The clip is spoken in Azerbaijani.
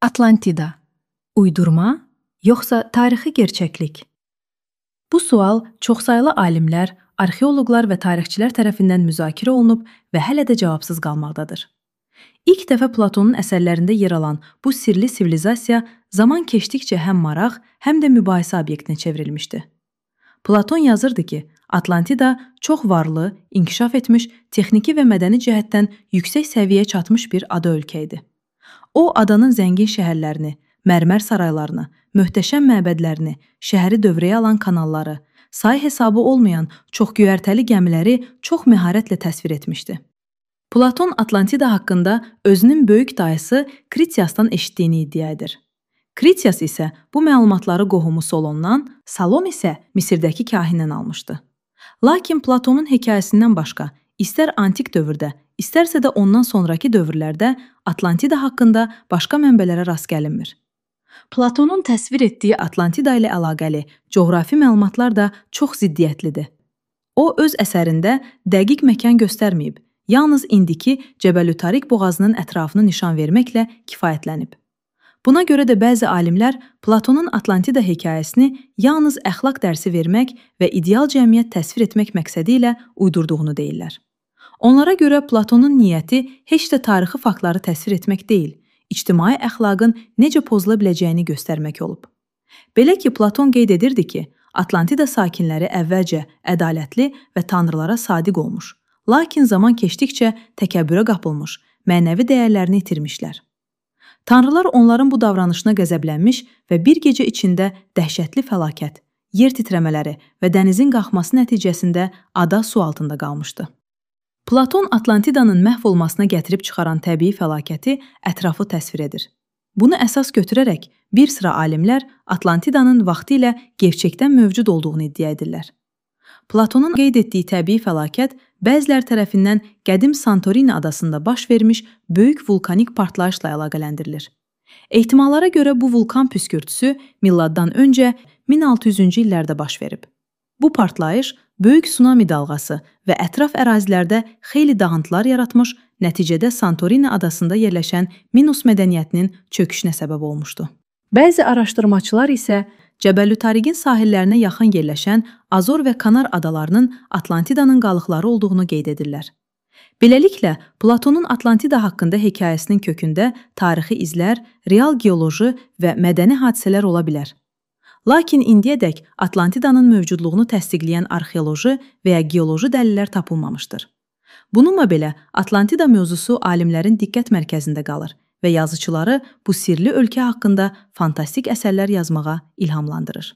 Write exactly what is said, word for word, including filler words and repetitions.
Atlantida. Uydurma, yoxsa tarixi gerçəklik? Bu sual çoxsaylı alimlər, arxeoloqlar və tarixçilər tərəfindən müzakirə olunub və hələ də cavabsız qalmaqdadır. İlk dəfə Platonun əsərlərində yer alan bu sirli sivilizasiya zaman keçdikcə həm maraq, həm də mübahisə obyektinə çevrilmişdi. Platon yazırdı ki, Atlantida çox varlı, inkişaf etmiş, texniki və mədəni cəhətdən yüksək səviyyəyə çatmış bir ada ölkə idi. O, adanın zəngin şəhərlərini, mərmər saraylarını, möhtəşəm məbədlərini, şəhəri dövrəyə alan kanalları, say hesabı olmayan çox göyərtəli gəmiləri çox məharətlə təsvir etmişdi. Platon Atlantida haqqında özünün böyük dayısı Kritiasdan eşitdiyini iddia edir. Kritias isə bu məlumatları qohumu Solondan, Salon isə Misirdəki kahindən almışdı. Lakin Platonun hekayəsindən başqa, istər antik dövrdə, istərsə də ondan sonraki dövrlərdə Atlantida haqqında başqa mənbələrə rast gəlinmir. Platonun təsvir etdiyi Atlantida ilə əlaqəli coğrafi məlumatlar da çox ziddiyyətlidir. O, öz əsərində dəqiq məkan göstərməyib, yalnız indiki Cəbəlütərik boğazının ətrafını nişan verməklə kifayətlənib. Buna görə də bəzi alimlər Platonun Atlantida hekayəsini yalnız əxlaq dərsi vermək və ideal cəmiyyət təsvir etmək məqsədi ilə uydurduğunu deyirlər. Onlara görə Platonun niyyəti heç də tarixi faktları təsvir etmək deyil, ictimai əxlaqın necə pozula biləcəyini göstərmək olub. Belə ki, Platon qeyd edirdi ki, Atlantida sakinləri əvvəlcə ədalətli və tanrılara sadiq olmuş, lakin zaman keçdikcə təkəbbürə qapılmış, mənəvi dəyərlərini itirmişlər. Tanrılar onların bu davranışına qəzəblənmiş və bir gecə içində dəhşətli fəlakət, yer titrəmələri və dənizin qalxması nəticəsində ada su altında qalmışdı. Platon Atlantidanın məhv olmasına gətirib çıxaran təbii fəlakəti ətraflı təsvir edir. Bunu əsas götürərək bir sıra alimlər Atlantidanın vaxtilə gerçəkdən mövcud olduğunu iddia edirlər. Platonun qeyd etdiyi təbii fəlakət bəzilər tərəfindən qədim Santorini adasında baş vermiş böyük vulkanik partlayışla əlaqələndirilir. Ehtimallara görə bu vulkan püskürtüsü milladdan öncə min altı yüzüncü illərdə baş verib. Bu partlayış böyük tsunami dalğası və ətraf ərazilərdə xeyli dağıntılar yaratmış, nəticədə Santorini adasında yerləşən Minos mədəniyyətinin çöküşünə səbəb olmuşdu. Bəzi araşdırmaçılar isə Cəbəlütəriqin sahillərinə yaxın yerləşən Azor və Kanar adalarının Atlantidanın qalıqları olduğunu qeyd edirlər. Beləliklə, Platonun Atlantida haqqında hekayəsinin kökündə tarixi izlər, real geoloji və mədəni hadisələr ola bilər. Lakin indiyədək Atlantidanın mövcudluğunu təsdiqləyən arxeoloji və ya geoloji dəlillər tapılmamışdır. Bununla belə, Atlantida mövzusu alimlərin diqqət mərkəzində qalır və yazıçıları bu sirli ölkə haqqında fantastik əsərlər yazmağa ilhamlandırır.